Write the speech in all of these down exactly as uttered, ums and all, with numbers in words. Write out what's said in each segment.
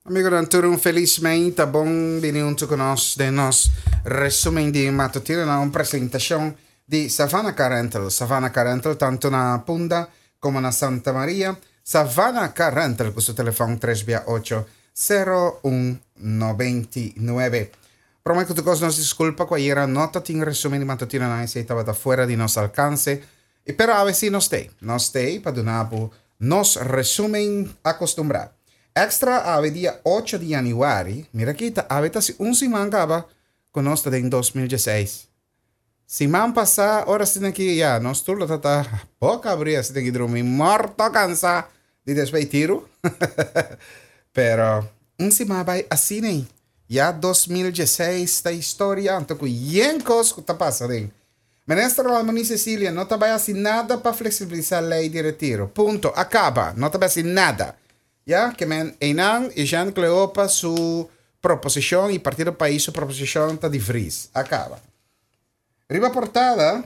Amigonan tur un felis meinta, bon bini hunto cu nos den nos resumen di matutino na un presentacion di Savannah Car Rental. Savannah Car Rental tanto na Punda como na Santa Maria. Savannah Car Rental cu su telefon tres bia ocho sero un noventa i nuebe. Prome cu tur cos nos disculpa cu ayera no ta tin resumen di matutino na esey tabata fuera di nos alcance. Y pero awe si nos tey. Nos tey pa duna bo nos resumen acostumbra. Extra awe dia ocho di januari, mira aki ta awe ta si un siman caba cu nos ta den dos mil dieseis. Siman pasa, ora asina aki, ya, nos tur lo ta ta boca abri asina aki drumi morto cansa di despues tiru. Pero un siman bay asina ei. Ya dos mil dieseis ta historia, anto cu yen cos cu ta pasa den. Minister Ramoni Cecilia no ta bay haci nada pa flexibilisa ley di retiro. Punto. Acaba. No ta bay haci nada. Ya, que men einan y Jean Cleopa su proposicion y Partido País su proposicion ta di vries. Acaba. Riba portada,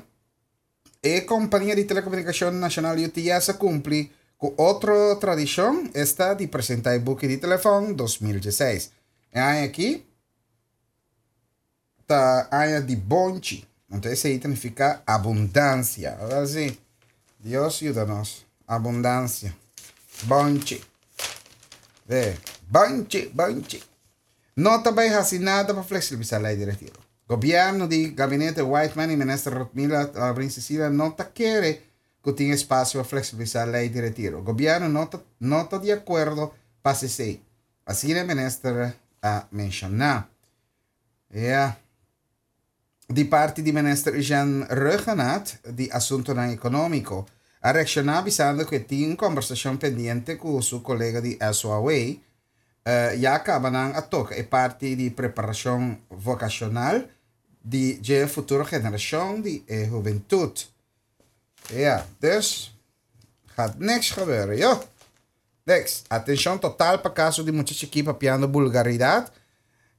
e compania di telecomunicacion nacional U T S a cumpli cu otro tradicion, esta di presenta e buki di telefon dos mil dieseis. E aña aki ta aña di bonchi. Entonces, esey significa abundancia. Ahora sí, Dios ayúdanos. Abundancia. Bonchi. Ve, bonchi, bonchi. No te vais a hacer nada para flexibilizar la ley de retiro. Gobierno di gabinete Whiteman y ministro Ruthmila Labrin Cecilia no te quiere que tenga espacio para flexibilizar la ley de retiro. Gobierno no te, no está de acuerdo para ese. Así el ministro ha mencionado. Ja. Di parte di minister Jean Rhuggenaath di Asuntonan Económico a reacciona avisando que tiene conversación pendiente con su colega di S O A. Eh, ya acaban a toca e parte di preparación vocacional di je futuro generación di eh, juventud. Ja, dus gaat niks gebeuren, joh. Niks. Atención total pa caso di muchacho aquí papiando vulgaridad.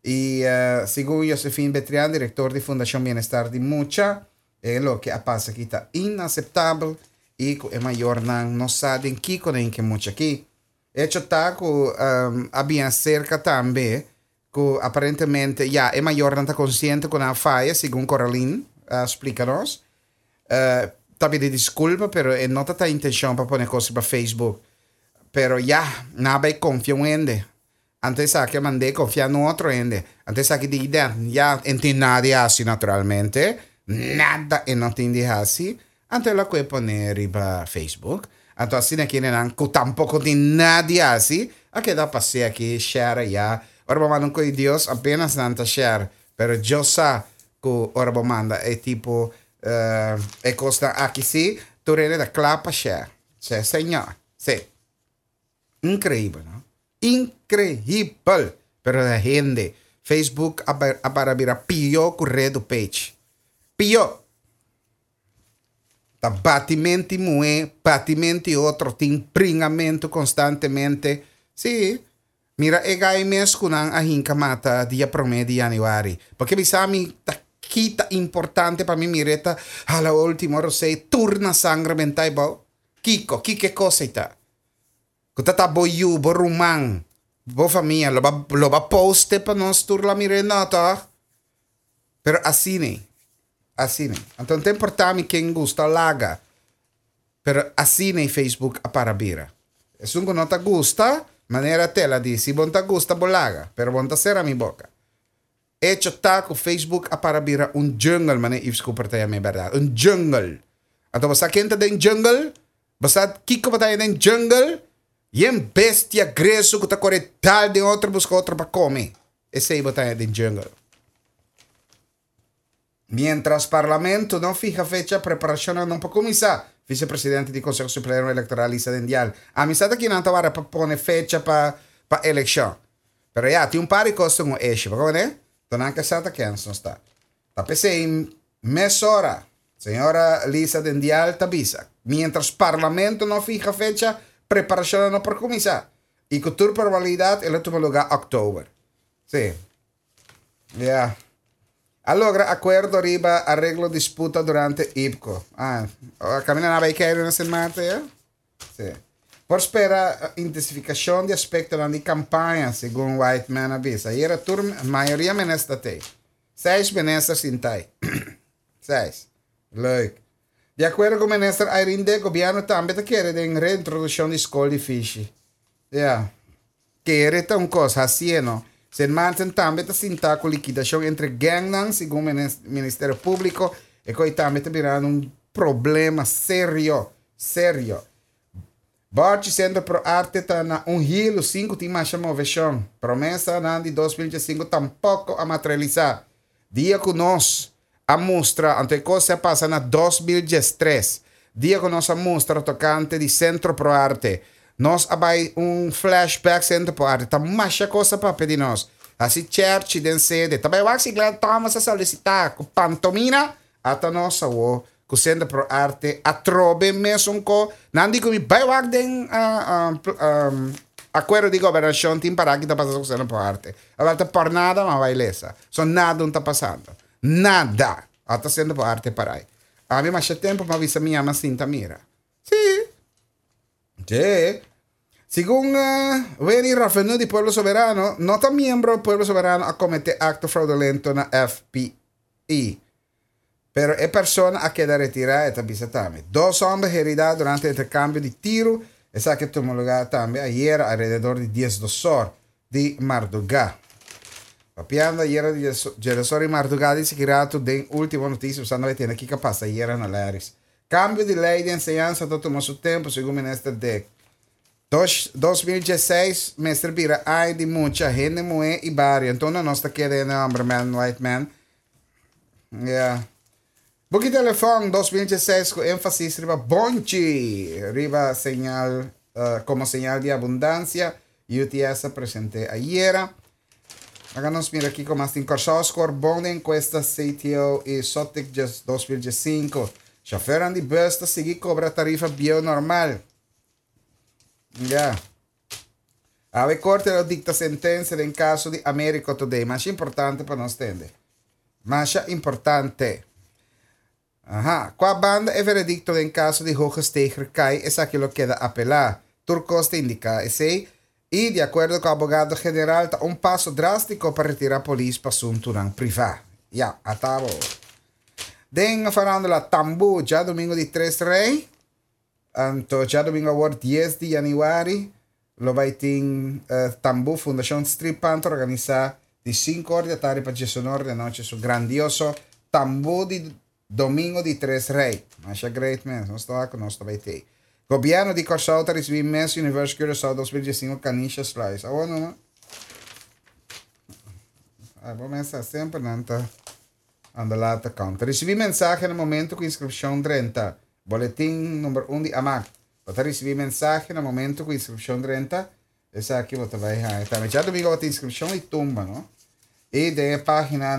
Y, eh, según Josephine Betrián, director de Fundación Bienestar de Mucha, eh, lo que pasa aquí está inaceptable y que el mayor nan no sabe en qué con en que mucha aquí. Hecho está que, um, había cerca también que aparentemente ya el mayor no está consciente con la falla, según Coraline, uh, explícanos. Uh, también de disculpa, pero eh, no está intención para poner cosas para Facebook. Pero ya, nada y confía en ende. Antes a que mandé confiar en otro ende. Antes a que diga, ya entiendo nadie así naturalmente. Nada en no entiende así. Antes la que poner riba Facebook. Antes así no quieren que tampoco tiene nadie así. A que da pase aquí, share ya. Ahora vamos a con Dios apenas nanta share. Pero yo sa que ahora vamos manda é tipo, eh, é costa aqui sí, tu rele da clapa share. Sí, señor. Sí. Increíble, ¿no? Increíble. Pero la gente, Facebook a para mira pio corredo page. Pio. Ta batimento mue, batimento otro, tin pringamento constantemente. Sí. Mira, e gai mes kunan a hinka mata dia promedio di januari. Porque mi sa mi ta kita importante pa mi mireta a la última rosé turna sangre mentai bo. Kiko, kike cosa ita. Kuta ta bo yu, bo rumang, bo familia, lo ba, lo ba poste pa nos tur la mire no, toch? Pero así ne. Así ne. Entonces, te importa mi quien gusta laga. Pero así ne Facebook a para bira. Es un que no te gusta, manera tela di, si bon te gusta, bolaga, pero bon te cera mi boca. Hecho ta ku Facebook a para bira un jungle, mane Yves Cooper te llama, verdad? Un jungle. Entonces, ¿sa quién te den jungle? ¿Basta Kiko bata den jungle? Y en bestia greso que te corre tal de otro busca otro pa come. Ese bata den jungle. Mientras Parlamento no fija fecha, preparación no puede comenzar. Vicepresidente del Consejo Supremo Electoral, Lisa Dindial. A mí sabe que no te va a poner fecha pa, pa elección. Pero ya, tiene un par de cosas como ese. ¿Por qué? Entonces, que sabe que no está. Ta pensé, mesora, señora Lisa Dindial Tabisa. Mientras Parlamento no fija fecha, preparación no por comenzar. Y con tu probabilidad, el último lugar, octubre. Sí. Ya. A logra acuerdo arriba, arreglo disputa durante I P C O. Ah, camina na que en Sint Maarten, ya? Sí. Por spera intensifikashon di aspekto di kampaña, segun Whiteman a bisa. Ayera tur mayoria minister t'ei. Seis minister sintá. Seis. Leuk. Di akuerdo ku minister Irene Dick, gobièrnu tambe ta kere den reintrodukshon di skol di fishi. Ja. Kere ta un kos, asina, no? Sint Maarten tambe ta sinta ku likidashon entre gangnan, segun Ministerio Públiko, i ku tambe ta birando un problema serio, serio. Borchi Sentro Pro Arte ta na un hilo, sinku tin mas moveshon. Promesanan di dos mil sinku tampoko a materialisá. Dia ku nos a mustra, anto kos a pasa na dos mil diestres. Dia ku nos a mustra tokante di Sentro Pro Arte. Nos a bai un flashback Sentro Pro Arte. Ta mas kos pa pidi nos. Asina church den sede. Tambe Waxi Glenn Thomas a solisitá ku pantomina ata nos awo ku Sentro Pro Arte atrobe mesun ko nan di ku mi bai wak den uh, um, um, akuerdo di gobernashon tin para ku ta pasando ku Sentro Pro Arte. Awor ta por nada ma bai lesa. So nada no ta pasando. Nada. Ata Sentro Pro Arte pará. Ami mas tempu pa bisa mi ama sinta mira. Si. Si. Segun uh, Wenny Raffenu di Pueblo Soberano, no ta miembro di Pueblo Soberano a kometé akto fraudulento na F P I. Pero e persona a keda retirá i ta tambe. Dos hòmber heridá durante interkambio di tiru. Esaki a tuma lugá tambe ayera alrededor di diesdos or di mardugá. Papiando ayera di diesdos or di mardugá di Sikirato, den último notisia, bo no tin kiko a pasa ayera na Laris. Kambio di lei di enseñansa ta tuma su tempu, segun minister Dick. dos mil diesseis mester bira aña di mucha hende muhé i bario. Anto nos ta kere hòmber man, white man. Yeah. Buki telefòn dos mil diesseis ku énfasis riba bonchi, riba señal uh, komo señal di abundansia. U T S a presentá ayera. Awor nos mira aki kon tin Kòrsou score bon den enkuesta C T O i Sotic dos mil diesinku. Shofùr di bùs ta sigui kobra tarifa bieu normal. Ja. Awe korte a dikta sentensia den kaso di America Today. Mas importante pa nos tende. Mas importante. Aha. Kua banda e veredikto den kaso di Hoogesteger kai, esaki lo keda apelá. Tur kos ta indiká esei. I di akuerdo ku e abogado general, ta un paso drástiko pa retirá polis pa asuntu privá. Ja, atabo. Den farándula, Tambu, djadumingu di Tres Rei. Anto, djadumingu awor dies di yanüari, lo bai tin uh, Tambu, Fundashon Stripan ta organisá di sinku or di atardi pa diesun or di anochi, su grandioso Tambu di Domingo di Tres Rei. Masha great man, nos ta ku nos bai tin. Gobièrnu di Kòrsou ta risibí Miss Universe Curaçao dos mil diesinku Kanisha Slice. Ah, no, no. Ah, bon, mesa semper no ta anda lata konta. Risibí mensahe na momento ku inskripshon drenta. Boletin number un di AMAC. Bo ta risibí mensahe na momento ku inskripshon drenta. Esaki bo ta bai haña. Tambe djadumingu tin inskripshon i tumba, no? I den página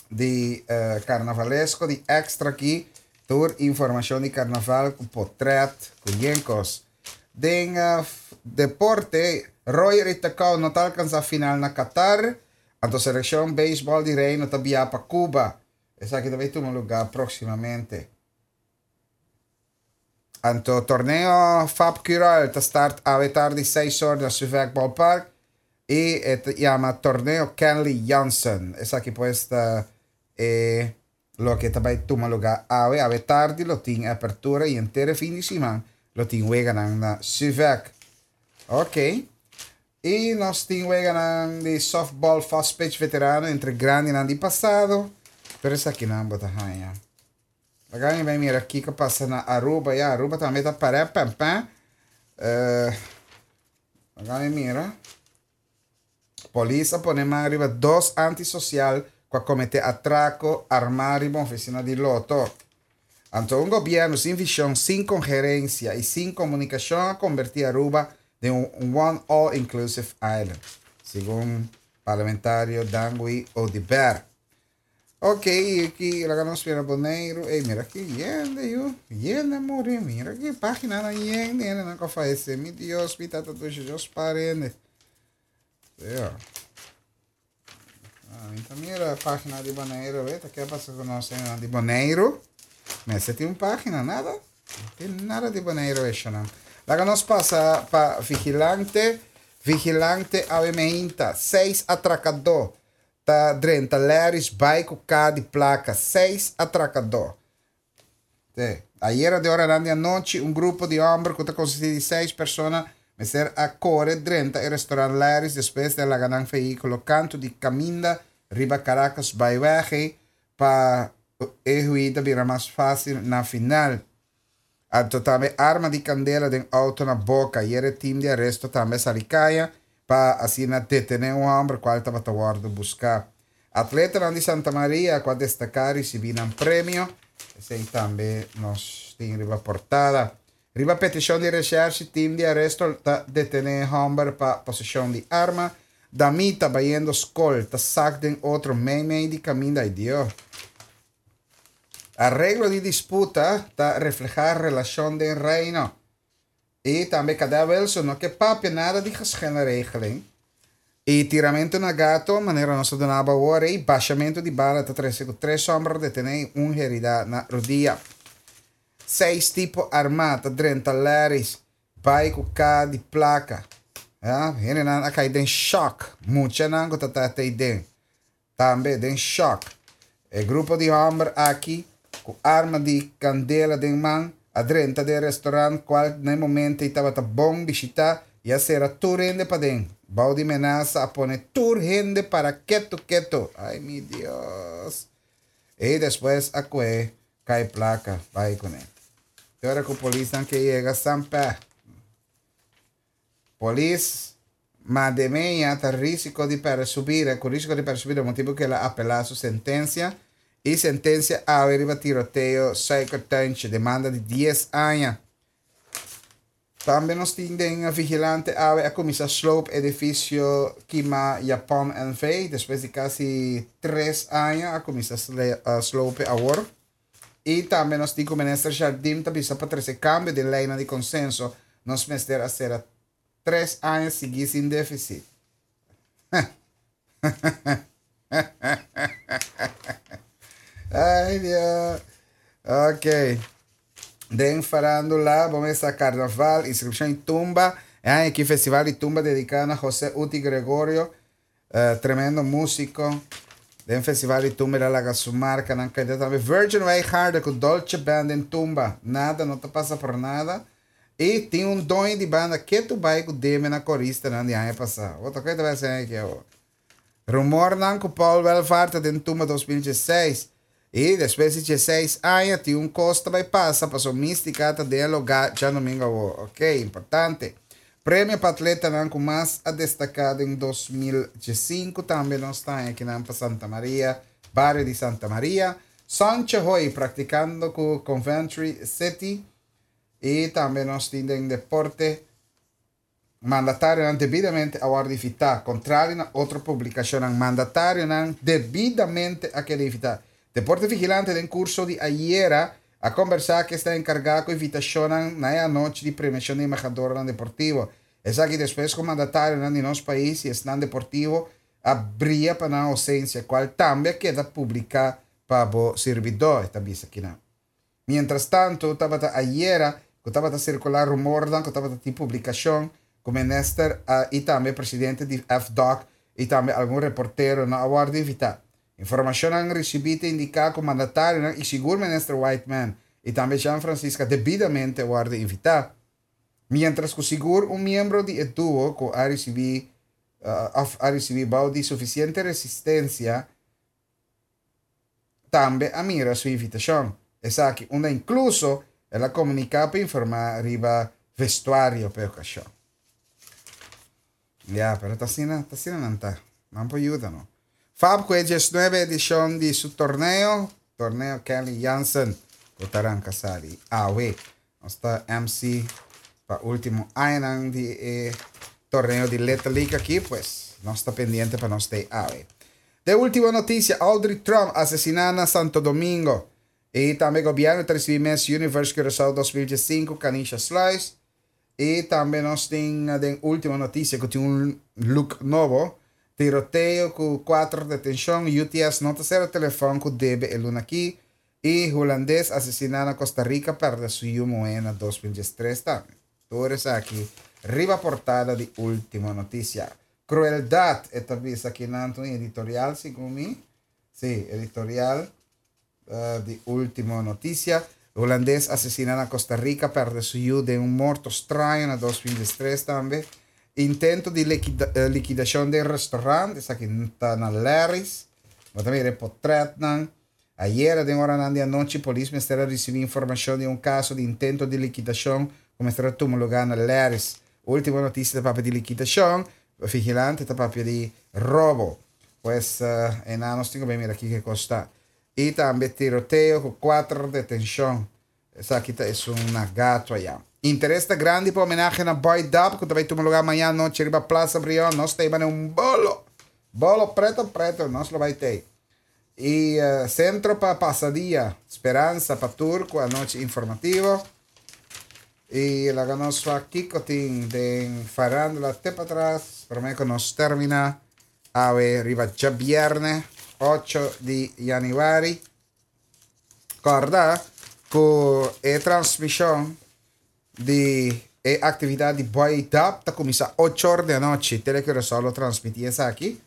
di uh, karnavalesko di Extra aki, tur informashon di karnaval ku portrèt, ku yenkos. Den uh, deporte, Royer i Takao no ta alkansá final na Qatar. Anto selekshon beisbòl di Reino ta biaha pa Cuba. Esaki tambe ta tuma lugá próksimamente. Anto torneo Fab Cural ta start awe tardi seis or na Suvek Ballpark i e yama torneo Kenley Jansen. Esaki pues ta e loke tambe ta tuma lugá awe awe tardi lo tin apertura i henter fin di siman lo tin wega na Suvek. Ok. I nos tin wega di softball fast pitch veterano entre grandi di pasado. Pero esaki no bo ta haña. Awor bai mira kiko a pasa na Aruba. Ja, Aruba tambe ta para pam pam. Uh, awor mira. Polis a pone man riba dos antisosial ku a kometé atrako armá den ofisina di Lotto. Anto, un gobièrnu sin vishon, sin koherensia i sin komunikashon a konvertí Aruba den un one all-inclusive island, segun parlamentario Dangui Oduber. Ok, aki, laga nos mira Boneiru. Ei, mira aki, hende, yu. Hende a muri. Mira aki, página na hende, hende nan fayesé. Mi Dios, mi tata dushi, Dios parende. Ja. Ah, anto mira página di Boneiru, weta, kiko a pasa ku nos di Boneiru? Mas tin un página, nada? No tin nada di Boneiru, esei no. Laga nos pasa pa Vigilante. Vigilante awe mainta. Seis atrakadó ta drenta Larry's bai ku kaha di plaka. Seis atrakadó. Te. Ayera den oranan di anochi, un grupo di hòmber ku ta konsistí di seis persona mester a kore drenta e restaurant Larry's despues di a laga nan vehíkulo kantu di kaminda riba Caracas Byweg pa e huida bira mas fásil na final. Anto tambe arma di kandela den outo na boka. Ayera e tim di aresto tambe a sali kaya pa asina detené un hòmber kual tabata wòrdu buská. Atletanan di Santa Maria ku a destaká risibí nan premio. Esei tambe nos tin riba portada. Riba petishon di reshèrshi tim di aresto ta detené hòmber pa poseshon di arma. Damita bayendo skol ta sak den otro meimei di kaminda. Ay Dios. Areglo di disputa ta reflehá relashon den Reino. I tambe Kadè Wilson no ke papia nada di geschillenregeling. I tiramentu na gato, manera nos a duna bo awor ei, bashamentu di bala ta trese ku tres hòmber detené i un heridá na rudia. Seis tipo armá ta drenta Larry's bai ku kaha di plaka. Ya, hendenan a kai den shòk. Muchanan ku ta ta ei den tambe den shòk. E grupo di hòmber aki ku arma di kandela den man a drenta den restaurant kual na e momento ei tabata bon bishitá i a sera tur hende paden. Bou di menasa a pone tur hende para ketu ketu. Ai mi Dios. I despues a kue kai plaka bai kuné. Te ora ku polisnan ke yega San Pè. Polis Mademea ta risiko di pèrdè su bida, ku risiko di pèrdè su bida motibu ku el a apelá su sentensia i sentensia awe riba tiroteo Suikertuintje, demanda di dies aña. Tambe nos tin den Vigilante awe a kuminsá sloop edifisio Kima Japon N V despues di kasi tres aña a kuminsá sloop awor. I tambe nos tin ku minister Jardim ta bisa pa trese kambio di leinan di konsenso, nos mester a sera tres aña siguí sin défisit. Ay Dios. Ok. Den farándula, bo mesa karnaval, inskripshon i tumba. E aña aki Festival di Tumba dediká na José Uti Gregorio, tremendo músiko. Den Festival di Tumba el a laga su markanan keda tambe. Virgin Wijngaarden ku Dolce Band den tumba. Nada no ta pasa por nada. I tin un doño di banda ketu bai ku debe na koristanan di aña pasá. Bo ta kue ta bai hasi aki awor? Rumornan ku Paul Welvaart ta den tumba dos mil diesseis i despues di diesseis aña tin un kos ta bai pasa paso Mística ta den e lugá djadomingo awor. Ok, importante. Premio pa atletanan ku mas a destaká den dos mil diesinku tambe nos ta haña akinan pa Santa Maria, bario di Santa Maria. Sancho Hoy praktikando ku Coventry City i tambe nos tin den deporte. Mandatarionan debidamente a wòrdu invitá, kontrali na otro publikashonnan, mandatarionan debidamente a keda invitá. Deporte Vigilante den kurso di ayera a kombersá ku esnan enkargá ku invitashonnan na e anochi di premiashon di embahadornan deportivo. Esaki despues ku mandatarionan di nos pais i esnan deportivo a bria pa nan ousensia, kual tambe a keda publiká pa bo sirbidó, e ta bisa kinan. Mientras tanto, tabata ayera ku tabata sirkulá rumornan ku tabata tin publikashon ku minister i tambe presidente di F D O C i tambe algun reportero no a wòrdu invitá. Informashonnan risibí ta indiká ku mandatarionan i sigur minister Whiteman i tambe Jean Francisca debidamente a wòrdu invitá. Mientras ku sigur un miembro di e duo ku a risibí òf a risibí bou di sufisiente resistensia tambe a mira su invitashon. Esaki unda inkluso el a komuniká pa informá riba vestuario pa e okashon. Ya, pero ta asina, ta asina nan ta. Nan por yuda no. Fab ku e diesnuebe edishon di su torneo, Torneo Kenley Jansen, ku ta ranka sali awe. Nos ta M C pa último añanan di e torneo di Little League aki, pues nos ta pendiente pa nos stay awe. De último notisia, Audrey Trump asesiná na Santo Domingo. I tambe gobièrnu ta risibí Miss Universe Curaçao dos mil diesinku, Kanisha Sluis. I tambe nos tin den último notisia ku tin un look nobo. Tiroteo ku kuater detenshon. U T S no ta sera telefòn ku debe e luna aki. I hulandes asesiná na Costa Rica pèrdè su yu muhé na dos mil diestres tambe. Tur esaki riba portada di Ultimo Noticia. Crueldad, e ta bisa aki na un editorial, segun mi. Si, editorial uh, di Ultimo Noticia. Hulandes asesina na Costa Rica perde su yiu den un morto straño na dos mil diestres tambe. Intento di liquida, uh, liquidacion di restaurant, esaki ta na Larry's. Bo ta mira portret nan. Ayera, den ora di anochi, polis mester a ricibi informacion di un caso di intento di liquidacion cu mester a tuma luga na Larry's. Ultimo Noticia ta papia di liquidacion, Vigilante ta papia di robo. Pues, uh, e nos tin cu mira aki kico ta. Y tambe tiroteo cu cuater detencion. Esaki ta un gato aya. Interes ta grandi pa homenahe na Boy Dub, cu tambe ta tuma luga mañan anochi riba Plaza Brion. Nos tin un bolo. Bolo preto preto, nos lo bay tin. Y uh, Centro pa Pasadia, Speransa pa tur cu anochi informativo. Y laga nos kico tin di farandula te patras, prome cu nos termina. Awe riba diabierna, ocho di januari. Corda cu e transmision di e actividad di Boy Dub ta cuminsa ocho or di anochi. Telecuraçao lo transmiti esaki.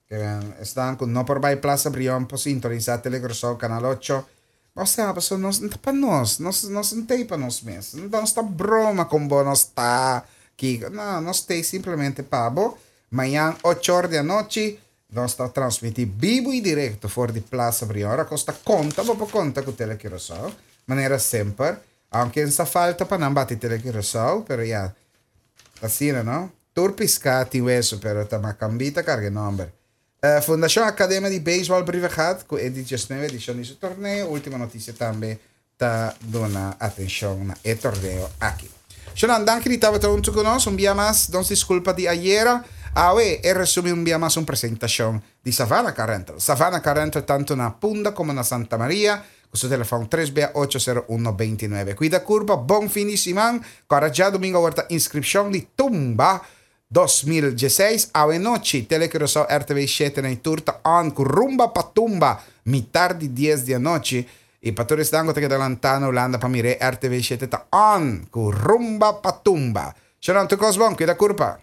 Esnan cu no por bay Plaza Brion por sintonisa Telecuraçao Canal ocho. O sea, paso nos no pa nos, nos nos no ta pa nos mes. Nos ta broma cu bo nos ta aki. No, nos ta simplemente pa bo. Mañan ocho or di anochi nos ta transmiti bibo y directo for di Plaza Brion. Ora cos ta conta, bo por conta cu Telecuraçao. Manera semper. Aunke sa falta pa nan bati Telecuraçao, pero ya. Asina, no? Tur pisca tin weso, pero ta macambi ta carga nomber. Uh, Fundacion Academia di Baseball Brievengat, cu e diesnuebe edicion di su torneo. Ultimo Noticia tambe ta duna atencion na e torneo aki. Shonan, danki di tabata hunto cu nos. Un dia mas, nos disculpa di ayera. Awe, e resumen un dia mas un presentacion di Savannah Car Rental. Savannah Car Rental tanto na Punda como na Santa Maria. Cu su telefon tres B ocho cero uno dos nuebe. Cuida curpa, bon fin di siman. Awor diadomingo ta inscripcion di Tumba dos mil diesseis. Awe nochi, Telecuraçao R T V shete na tur ta on cu Rumba pa Tumba, mitar di dies di anochi. Y pa tur esnan cu ta lanta na Hulanda pa mira R T V shete ta on cu Rumba pa Tumba. Shonan, tur cos bon, cuida curpa.